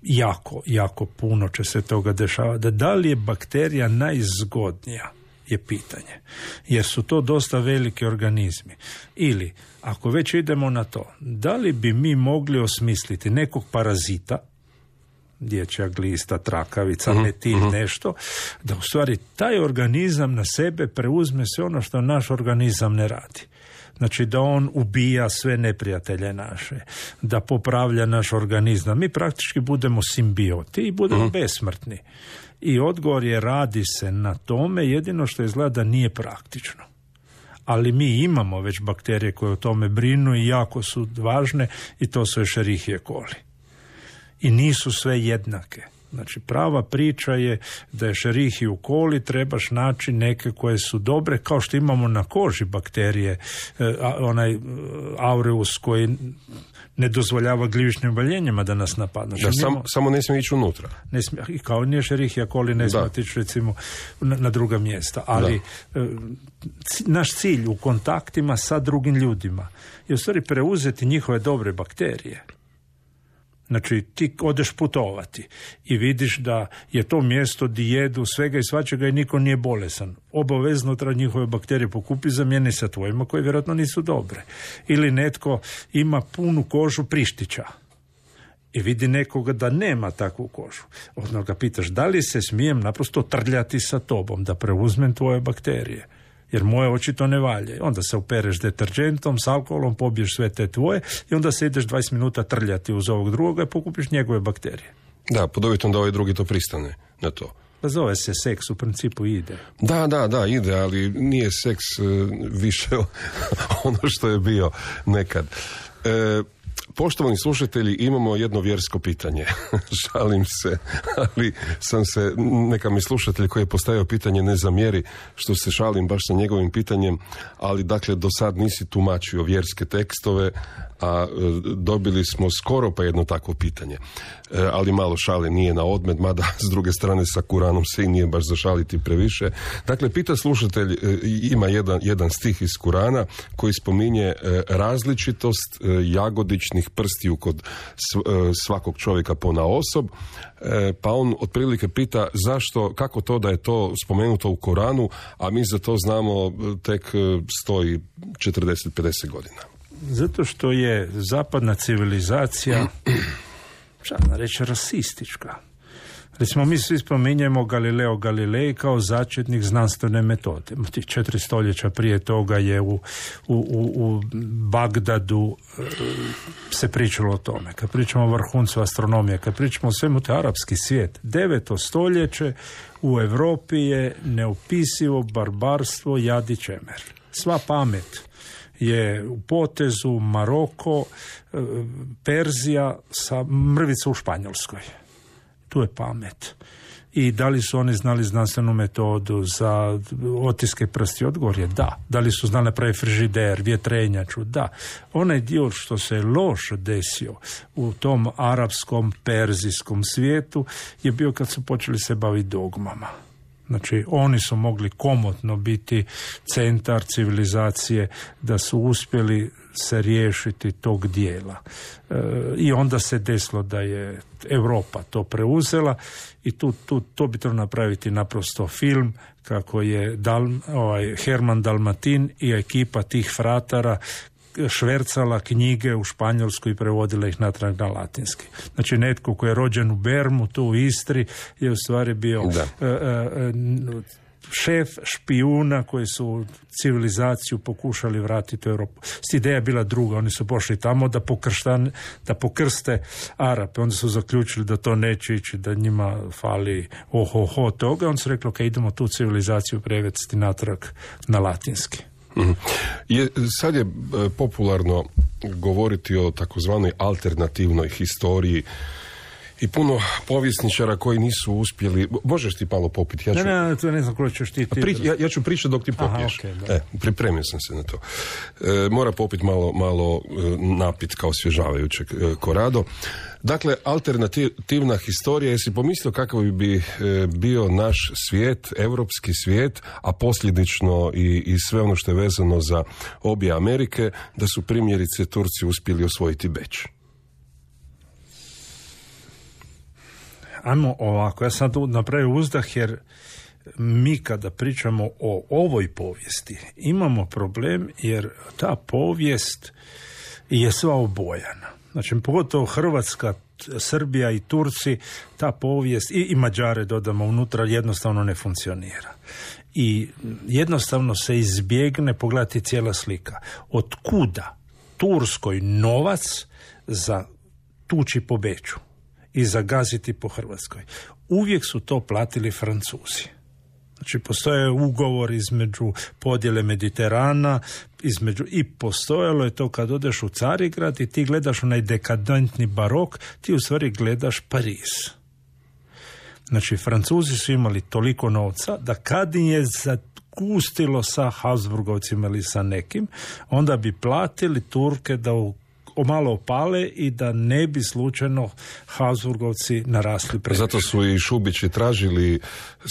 jako, jako puno će se toga dešavati. Da li je bakterija najzgodnija je pitanje, jer su to dosta veliki organizmi. Ili, ako već idemo na to, da li bi mi mogli osmisliti nekog parazita, dječja glista, trakavica, uh-huh, metil, uh-huh. nešto, da u stvari taj organizam na sebe preuzme sve ono što naš organizam ne radi. Znači da on ubija sve neprijatelje naše, da popravlja naš organizam. Mi praktički budemo simbioti i budemo uh-huh. besmrtni. I odgovor je radi se na tome, jedino što izgleda da nije praktično. Ali mi imamo već bakterije koje o tome brinu i jako su važne i to su Escherichia coli. I nisu sve jednake. Znači prava priča je da je Escherichia coli trebaš naći neke koje su dobre, kao što imamo na koži bakterije, onaj aureus koji ne dozvoljava gljivičnim oboljenjima da nas napadnu. Da, sam, nemo, samo ne smije ići unutra. Ne smije, i kao nije Escherichia coli ne smije otići recimo na, na druga mjesta. Ali e, c, naš cilj u kontaktima sa drugim ljudima je u stvari preuzeti njihove dobre bakterije. Znači, ti odeš putovati i vidiš da je to mjesto di jedu svega i svačega i niko nije bolesan. Obavezno treba njihove bakterije pokupi, zamijeni sa tvojima koje vjerojatno nisu dobre. Ili netko ima punu kožu prištića i vidi nekoga da nema takvu kožu. Odmah ga pitaš da li se smijem naprosto trljati sa tobom da preuzmem tvoje bakterije. Jer moje očito ne valje. Onda se opereš deterđentom, s alkoholom, pobiješ sve te tvoje i onda se ideš dvadeset minuta trljati uz ovog drugoga i pokupiš njegove bakterije. Da, pod uvjetom da ovaj drugi to pristane na to. Pa zove se seks, u principu ide. Da, da, da, ide, ali nije seks uh, više ono što je bio nekad. E, Poštovani slušatelji, imamo jedno vjersko pitanje. Šalim se, ali sam se, neka mi slušatelj koji je postavio pitanje ne zamjeri što se šalim baš sa njegovim pitanjem, ali dakle do sad nisi tumačio vjerske tekstove, a e, dobili smo skoro pa jedno takvo pitanje. E, ali malo šale nije na odmet, mada s druge strane sa Kuranom se i nije baš zašaliti previše. Dakle, pita slušatelj, e, ima jedan, jedan stih iz Kurana koji spominje e, različitost e, jagodičnih prstiju kod svakog čovjeka ponaosob, pa on otprilike pita zašto, kako to da je to spomenuto u Koranu, a mi za to znamo tek stoji četrdeset pedeset godina. Zato što je zapadna civilizacija, šta da reći, rasistička. Recimo, mi svi spominjemo Galileo Galilei kao začetnik znanstvene metode. Četiri stoljeća prije toga je u, u, u, u Bagdadu e, se pričalo o tome. Kad pričamo o vrhuncu astronomije, kad pričamo o svemu, to je arapski svijet. Deveto stoljeće u Europi je neopisivo barbarstvo, jad i čemer. Sva pamet je u potezu Maroko, e, Perzija sa mrvicu u Španjolskoj. Tu je pamet. I da li su oni znali znanstvenu metodu za otiske prsti? Odgovor je da. Da li su znali napraviti frižider, vjetrenjaču? Da. Onaj dio što se loš desio u tom arapskom, perzijskom svijetu je bio kad su počeli se baviti dogmama. Znači, oni su mogli komotno biti centar civilizacije, da su uspjeli se riješiti tog dijela. E, I onda se desilo da je Europa to preuzela i tu, tu, to bi trebalo napraviti naprosto film kako je Dal, ovaj, Herman Dalmatin i ekipa tih fratara švercala knjige u Španjolsku i prevodila ih natrag na latinski. Znači, netko koji je rođen u Bermu, tu u Istri, je u stvari bio uh, uh, šef špijuna koji su civilizaciju pokušali vratiti u Europu. Ideja je bila druga, oni su pošli tamo da, pokrštan, da pokrste Arape, onda su zaključili da to neće ići, da njima fali oho-ho toga, onda su rekli, ok, idemo tu civilizaciju prevesti natrag na latinski. Mm-hmm. Je, sad je e, popularno govoriti o takozvanoj alternativnoj historiji i puno povjesničara koji nisu uspjeli. Možeš ti malo popiti? Ja ću... Ne, ne, to ne znam koliko ćeš ti... Pri, ja, ja ću pričati dok ti popiješ. Aha, okay, e, pripremio sam se na to. E, mora popiti malo, malo e, napit kao osvježavajućeg e, Corrado. Dakle, alternativna historija, jesi pomislio kakav bi e, bio naš svijet, europski svijet, a posljedično i, i sve ono što je vezano za obje Amerike, da su primjerice Turci uspjeli osvojiti Beč? Ajmo ovako, ja sam tu napravio uzdah jer mi kada pričamo o ovoj povijesti imamo problem jer ta povijest je sva obojana. Znači, pogotovo Hrvatska, Srbija i Turci, ta povijest, i, i Mađare dodamo unutra, jednostavno ne funkcionira. I jednostavno se izbjegne pogledati cijela slika. Od kuda Turskoj novac za tuči po Beču i zagaziti po Hrvatskoj? Uvijek su to platili Francuzi. Znači, postoje ugovor između podjele Mediterana, između, i postojalo je to kad odeš u Carigrad i ti gledaš onaj dekadentni barok, ti u stvari gledaš Pariz. Znači, Francuzi su imali toliko novca da kad im je zakustilo sa Habsburgovcima ili sa nekim, onda bi platili Turke da u malo opale i da ne bi slučajno Habsburgovci narasli previše. Zato su i Šubići tražili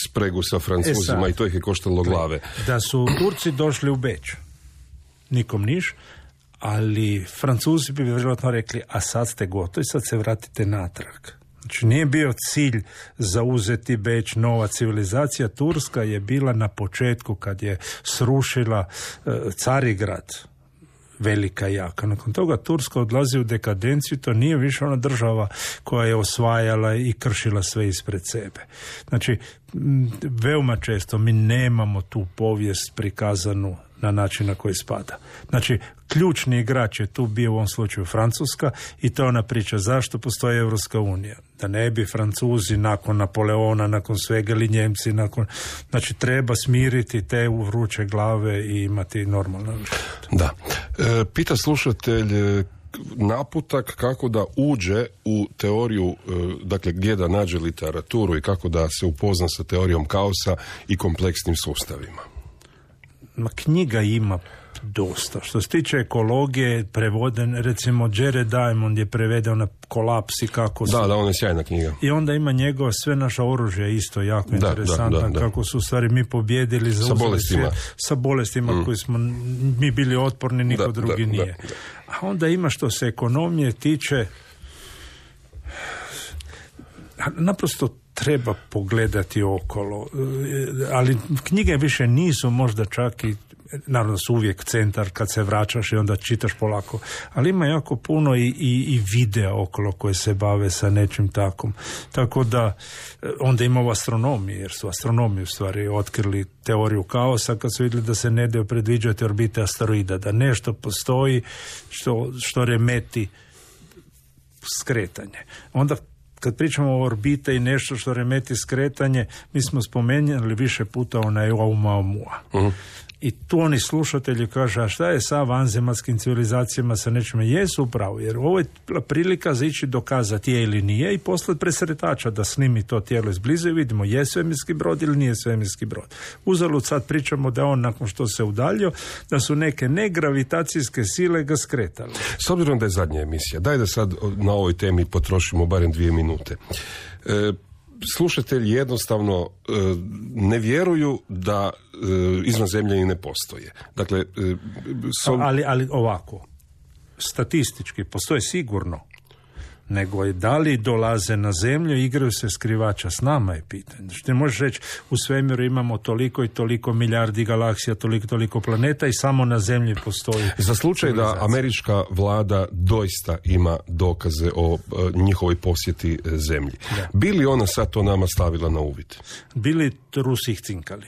spregu sa Francuzima e i to ih je koštalo glave. Da su Turci došli u Beč, nikom niš, ali Francuzi bi vjerojatno rekli, a sad ste gotovi, sad se vratite natrag. Znači, nije bio cilj zauzeti Beč, nova civilizacija. Turska je bila na početku kad je srušila uh, Carigrad, velika i jaka. Nakon toga Turska odlazi u dekadenciju, to nije više ona država koja je osvajala i kršila sve ispred sebe. Znači, veoma često mi nemamo tu povijest prikazanu na način na koji spada. Znači, ključni igrač je tu bio u ovom slučaju Francuska i to je ona priča zašto postoji Europska unija. Da ne bi Francuzi nakon Napoleona, nakon svega, ili Njemci, nakon... Znači, treba smiriti te vruće glave i imati normalno život. Da. E, pita slušatelj naputak kako da uđe u teoriju, dakle gdje da nađe literaturu i kako da se upozna sa teorijom kaosa i kompleksnim sustavima. Ma, knjiga ima dosta. Što se tiče ekologije, prevoden, recimo Jared Diamond je prevedeo na Kolaps i kako su... Da, da, on je sjajna knjiga. I onda ima njegova sve naša oružje isto jako da, interesantno, da, da, da. Kako su u stvari mi pobjedili za sa bolestima, sve, sa bolestima mm. koji smo mi bili otporni, niko da, drugi da, nije. Da, da. A onda ima što se ekonomije tiče, naprosto treba pogledati okolo, ali knjige više nisu možda čak i, naravno su uvijek centar kad se vraćaš i onda čitaš polako, ali ima jako puno i, i, i videa okolo koje se bave sa nečim takom. Tako da onda ima u astronomiji, jer su astronomi u stvari otkrili teoriju kaosa kad su vidjeli da se ne daju predviđati orbite asteroida, da nešto postoji što, što remeti skretanje. Onda kad pričamo o orbite i nešto što remeti skretanje, mi smo spomenuli više puta onaj Oumuamua. Uh-huh. I tu oni slušatelji kažu, a šta je sa vanzemaljskim civilizacijama, sa nečime? Jesu upravo, jer ovo je prilika za ići dokazati je ili nije i poslati presretača da snimi to tijelo izbliza i vidimo je svemirski brod ili nije svemirski brod. Uzalud sad pričamo da on nakon što se udaljio, da su neke negravitacijske sile ga skretali. S obzirom da je zadnja emisija, daj da sad na ovoj temi potrošimo barem dvije minute. E, slušatelji jednostavno e, ne vjeruju da e, izvanzemljani ne postoje. Dakle, e, so... ali, ali ovako, statistički postoje sigurno, nego je da li dolaze na zemlju, igraju se skrivača s nama je pitanje. Znači, ti možeš reći u svemiru imamo toliko i toliko milijardi galaksija, toliko toliko planeta i samo na zemlji postoji. Za slučaj da američka vlada doista ima dokaze o e, njihovoj posjeti e, zemlji. Da. Bi li ona sad to nama stavila na uvid? Bili Rusi ih cinkali.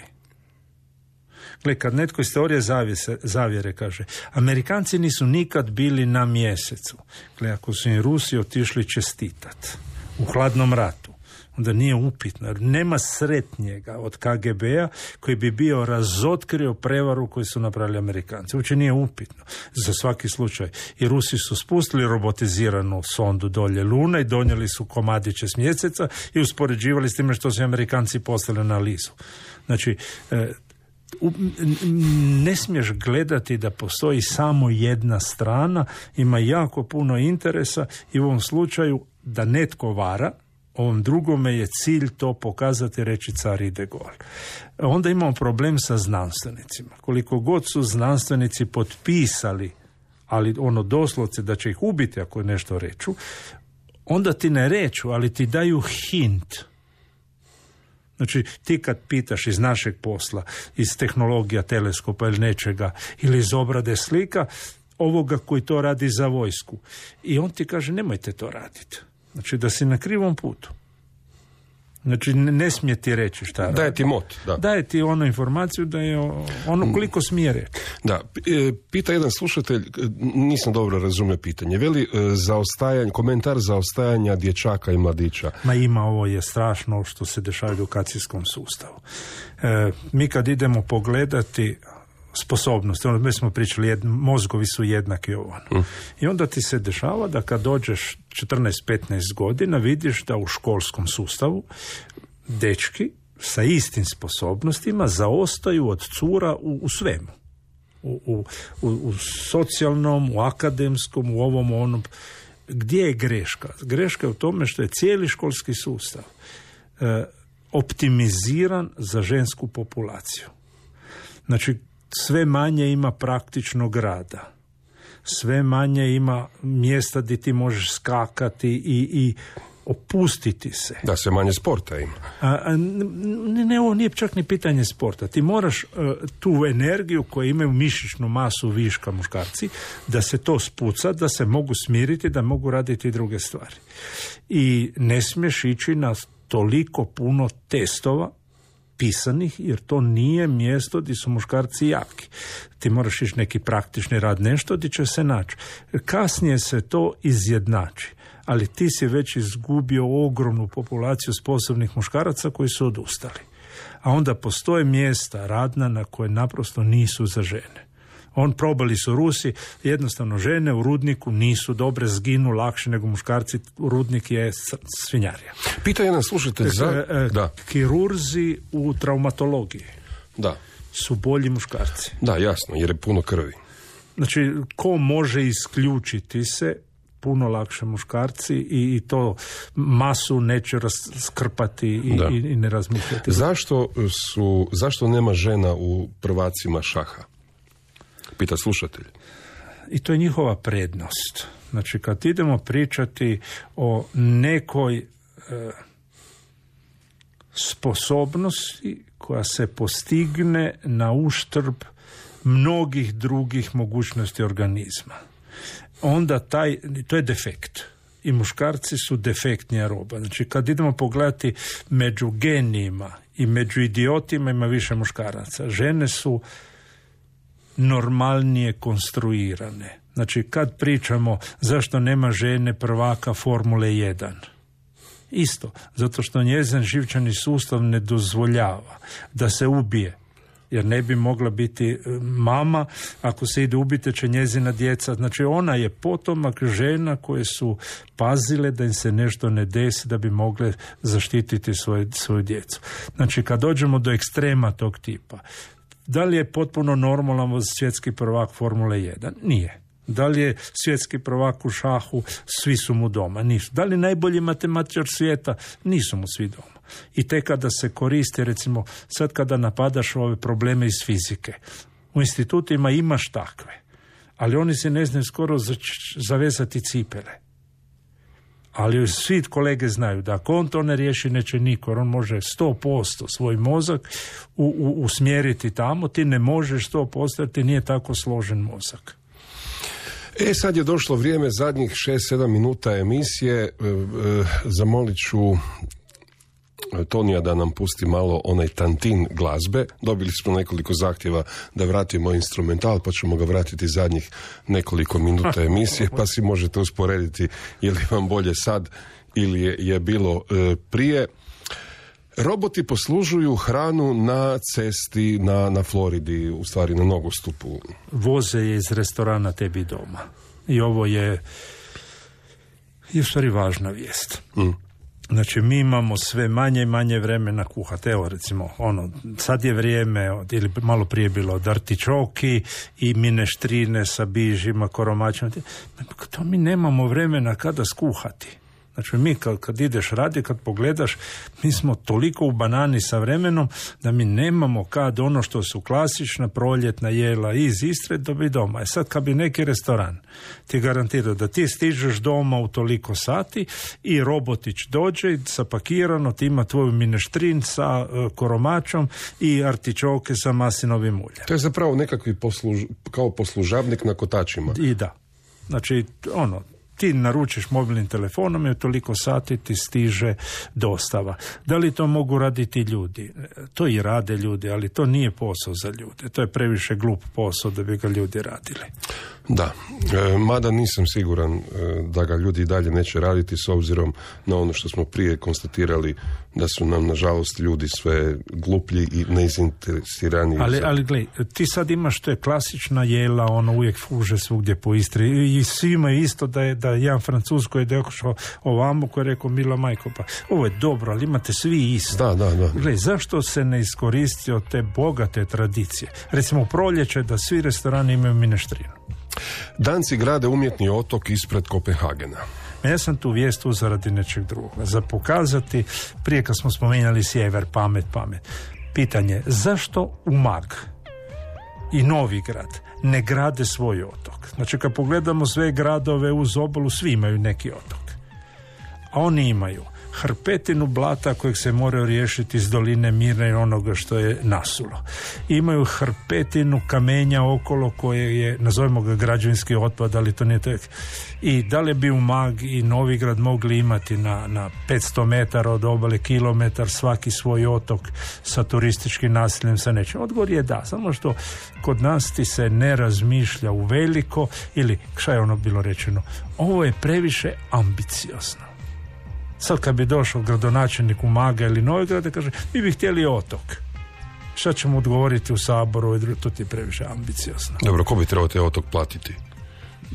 Gle, kad netko iz teorije zavjese, zavjere kaže, Amerikanci nisu nikad bili na mjesecu. Gle, ako su im Rusi otišli čestitat u hladnom ratu, onda nije upitno. Nema sretnjega od K G B-a koji bi bio razotkrio prevaru koju su napravili Amerikanci. Uopće nije upitno. Za svaki slučaj. I Rusi su spustili robotiziranu sondu dolje Lune i donijeli su komadiće s mjeseca i uspoređivali s time što su Amerikanci poslali na lizu. Znači, e, ne smiješ gledati da postoji samo jedna strana, ima jako puno interesa i u ovom slučaju da netko vara, ovom drugome je cilj to pokazati, reći car ide gol. Onda imamo problem sa znanstvenicima. Koliko god su znanstvenici potpisali, ali ono doslovce da će ih ubiti ako nešto reču, onda ti ne reču, ali ti daju hint. Znači, ti kad pitaš iz našeg posla, iz tehnologija teleskopa ili nečega, ili iz obrade slika, ovoga koji to radi za vojsku. I on ti kaže, nemojte to raditi. Znači, da si na krivom putu. Znači, ne smije ti reći šta radi. Daje ti mot, da. Daje ti onu informaciju da je ono koliko smije reći. Da, pita jedan slušatelj, nisam dobro razumio pitanje, veli zaostajanje, komentar zaostajanja dječaka i mladića. Ma ima, ovo je strašno što se dešava u edukacijskom sustavu. E, mi kad idemo pogledati sposobnosti, ono mi smo pričali, jed, mozgovi su jednaki ovano. Mm. I onda ti se dešava da kad dođeš četrnaest petnaest godina vidiš da u školskom sustavu dečki sa istim sposobnostima zaostaju od cura u, u svemu. U, u, u, u socijalnom, u akademskom, u ovom onom. Gdje je greška? Greška je u tome što je cijeli školski sustav e, optimiziran za žensku populaciju. Znači, sve manje ima praktičnog rada. Sve manje ima mjesta gdje ti možeš skakati i, i opustiti se. Da, sve manje sporta ima. A, a, ne, ne, ovo nije čak ni pitanje sporta. Ti moraš uh, tu energiju koju imaju mišićnu masu viška muškarci, da se to spuca, da se mogu smiriti, da mogu raditi druge stvari. I ne smiješ ići na toliko puno testova pisanih, jer to nije mjesto gdje su muškarci jaki. Ti moraš ići neki praktični rad, nešto gdje će se naći. Kasnije se to izjednači, ali ti si već izgubio ogromnu populaciju sposobnih muškaraca koji su odustali. A onda postoje mjesta radna na koje naprosto nisu za žene. On probali su Rusi, jednostavno žene u rudniku nisu dobre, zginu lakše nego muškarci, rudnik je svinjarija. Pita jedan slušatelj za... E, e, da. Kirurzi u traumatologiji da. su bolji muškarci. Da, jasno, jer je puno krvi. Znači, ko može isključiti se, puno lakše muškarci i, i to masu neće raskrpati i, i, i ne razmišljati. Zašto, su, zašto nema žena u prvacima šaha? Pita slušatelj. I to je njihova prednost. Znači, kad idemo pričati o nekoj e, sposobnosti koja se postigne na uštrb mnogih drugih mogućnosti organizma, onda taj, to je defekt. I muškarci su defektnija roba. Znači, kad idemo pogledati među genijima i među idiotima ima više muškaraca. Žene su normalnije konstruirane. Znači, kad pričamo zašto nema žene prvaka Formule jedan, isto, zato što njezin živčani sustav ne dozvoljava da se ubije, jer ne bi mogla biti mama, ako se ide ubiti će njezina djeca. Znači, ona je potomak žena koje su pazile da im se nešto ne desi, da bi mogle zaštititi svoje, svoju djecu. Znači, kad dođemo do ekstrema tog tipa, da li je potpuno normalan svjetski prvak Formule jedan? Nije. Da li je svjetski prvak u šahu? Svi su mu doma. Nisu. Da li najbolji matematičar svijeta? Nisu mu svi doma. I te kada se koristi, recimo, sad kada napadaš ove probleme iz fizike, u institutima imaš takve, ali oni se ne znaju skoro zavezati cipele. Ali svi kolege znaju da ako on to ne riješi, neće niko. On može sto posto svoj mozak u, u, usmjeriti tamo, ti ne možeš sto posto jer ti nije tako složen mozak. E, sad je došlo vrijeme zadnjih šest sedam minuta emisije. E, e, zamolit ću Tonija da nam pusti malo onaj tantin glazbe. Dobili smo nekoliko zahtjeva da vratimo instrumental, pa ćemo ga vratiti zadnjih nekoliko minuta emisije, pa si možete usporediti je li vam bolje sad ili je, je bilo e, prije. Roboti poslužuju hranu na cesti na, na Floridi, u stvari na nogostupu. Voze je iz restorana tebi doma. I ovo je, je u stvari važna vijest. Mm. Znači, mi imamo sve manje i manje vremena kuhati. Evo, recimo, ono, sad je vrijeme, od, ili malo prije bilo od artičoki i mineštrine sa bižima, koromačima. To mi nemamo vremena kada skuhati. Znači, mi kad, kad ideš radi, kad pogledaš, mi smo toliko u banani sa vremenom da mi nemamo kad ono što su klasična proljetna jela iz Istre dobi doma. E sad, kad bi neki restoran ti garantirao da ti stižeš doma u toliko sati i robotić dođe zapakirano, ti ima tvoju mineštrin sa uh, koromačom i artičoke sa maslinovim uljem. To je zapravo nekakvi posluž, kao poslužavnik na kotačima. I da. Znači, ono, ti naručiš mobilnim telefonom i u toliko sati ti stiže dostava. Da li to mogu raditi ljudi? To i rade ljudi, ali to nije posao za ljude. To je previše glup posao da bi ga ljudi radili. Da, e, mada nisam siguran e, da ga ljudi i dalje neće raditi s obzirom na ono što smo prije konstatirali da su nam nažalost ljudi sve gluplji i nezainteresirani. Ali, ali gledaj, ti sad imaš to je klasična jela, ono uvijek fuže svugdje po Istri i svi imaju isto da je da jedan Francuz koji je došao ovamo koji je rekao mila majko, pa ovo je dobro, ali imate svi isto. Da, da, da. Gledaj, zašto se ne iskoristi od te bogate tradicije? Recimo proljeće da svi restorani imaju mineštrinu. Danci grade umjetni otok ispred Kopenhagena. Ja sam tu vijest uzeo radi nečeg drugoga. Za pokazati, prije kad smo spomenjali sjever, pamet, pamet. Pitanje, zašto Umag i Novigrad ne grade svoj otok? Znači, kad pogledamo sve gradove uz obalu, svi imaju neki otok. A oni imaju hrpetinu blata kojeg se moraju riješiti iz doline Mirne i onoga što je nasulo. Imaju hrpetinu kamenja okolo koje je, nazovimo ga građevinski otpad, ali to nije tek. I da li bi Umag i Novigrad mogli imati na, na petsto metara od obale, kilometar svaki svoj otok sa turističkim naseljem, sa nečim? Odgovor je da, samo što kod nas ti se ne razmišlja u veliko ili, šta je ono bilo rečeno, ovo je previše ambiciozno. Sad kad bi došao gradonačelnik Umaga ili Novigrada, kaže, mi bi htjeli otok. Šta ćemo odgovoriti u Saboru? To ti je previše ambiciozno. Dobro, ko bi trebao te otok platiti?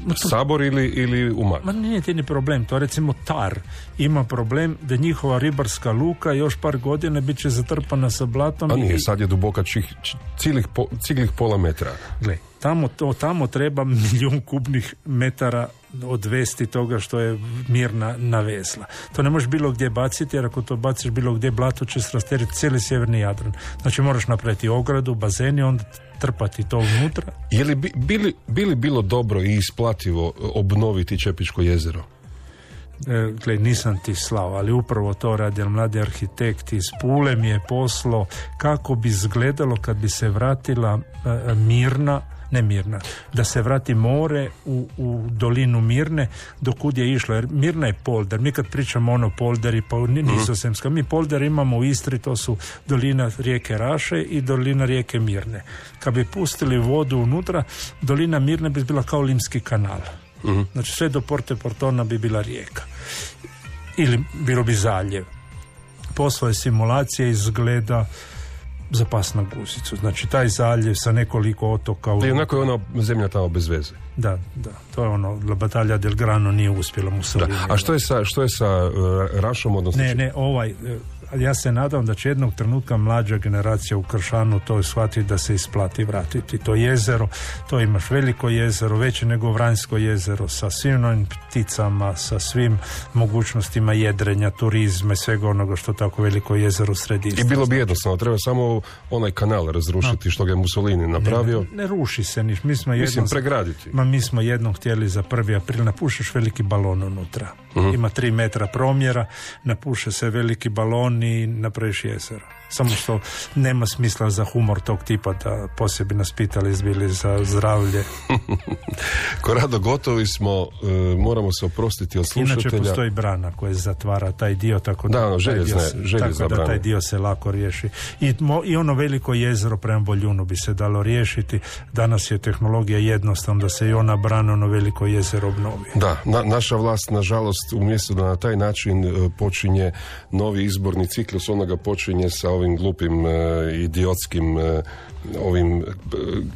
To, Sabor ili, ili Umag? Ma nije ti ni problem. To recimo Tar ima problem da njihova ribarska luka još par godina bit će zatrpana sa blatom. A nije, i... sad je duboka čih, ciglih, po, ciglih pola metra. Gle, tamo, to, tamo treba milijun kubnih metara odvesti toga što je Mirna navezla. To ne možeš bilo gdje baciti, jer ako to baciš bilo gdje, blato će srasteriti cijeli sjeverni Jadran. Znači moraš napraviti ogradu, bazeni, onda trpati to unutra. Je li bi, bili, bili bilo dobro i isplativo obnoviti Čepičko jezero? E, gle, nisam ti slao, ali upravo to radi mladi arhitekt iz Pule mi je poslo kako bi izgledalo kad bi se vratila e, Mirna, ne Mirna, da se vrati more u, u dolinu Mirne dokud je išlo, jer Mirna je polder. Mi kad pričamo ono polderi, pa Nizozemska, mi polder imamo u Istri, to su dolina rijeke Raše i dolina rijeke Mirne. Kad bi pustili vodu unutra, dolina Mirne bi bila kao Limski kanal. Uh-huh. Znači sve do Porte Portona bi bila rijeka. Ili bilo bi zaljev. Poslao je simulacije, izgleda za pas na guzicu. Znači taj zaljev sa nekoliko otoka. U... I onako je ona zemlja tamo bez veze. Da, da. To je ono, La Battaglia del Grano nije uspjela Mussolini. A što je sa, što je sa uh, Rašom? Odnosno ne, ne, ovaj, ali ja se nadam da će jednog trenutka mlađa generacija u Kršanu to shvatiti da se isplati vratiti. To jezero, to imaš veliko jezero, veće nego Vranjsko jezero, sa svim novim pticama, sa svim mogućnostima jedrenja, turizma i svega onoga što tako veliko jezero sredi. I bilo bi jednostavno, treba samo onaj kanal razrušiti, no, što ga je Mussolini napravio. Ne, ne, ne ruši se niš. Mi smo jednom, Mislim, pregraditi. Ma mi smo jednom htjeli za prvi april, napušeš veliki balon unutra. Uh-huh. Ima tri metra promjera, napuše se veliki balon i napraviš jezero. Samo što nema smisla za humor tog tipa da poslije nas pitali izbili za zdravlje. Korado, gotovi smo, e, moramo se oprostiti od slušatelja. Inače postoji brana koja zatvara taj dio, tako da, da ono, željezne, taj, dio se, tako da taj dio se lako riješi. I, mo, I ono veliko jezero prema Boljunu bi se dalo riješiti. Danas je tehnologija jednostavna da se i ona brana, ono veliko jezero obnovi. Da, na, naša vlast, nažalost, umjesto da na taj način e, počinje novi izborni ciklus, ona ga počinje sa ovim glupim, e, idiotskim, e, ovim, e,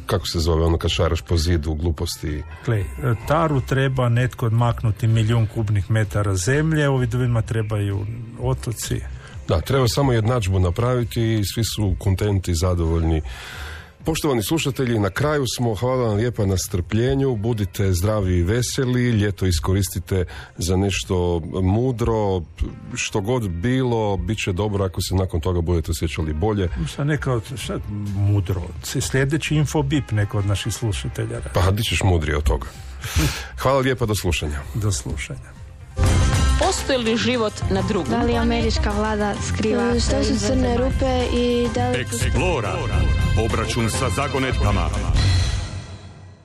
kako se zove, ono kad šaraš po zidu, gluposti. Gle, Taru treba netko odmaknuti milijun kubnih metara zemlje, ovi drugima trebaju otoci. Da, treba samo jednadžbu napraviti i svi su kontenti, zadovoljni. Poštovani slušatelji, na kraju smo. Hvala vam lijepa na strpljenju, budite zdravi i veseli, ljeto iskoristite za nešto mudro, što god bilo, bit će dobro ako se nakon toga budete osjećali bolje. Šta neka od, šta mudro? Sljedeći infobip neko od naših slušatelja. Pa, di ćeš mudrije od toga. Hvala lijepa, do slušanja. Do slušanja. Postoji li život na drugom? Da li američka vlada skriva? Što su crne rupe i da li... Explora. Obračun sa zagonetkama.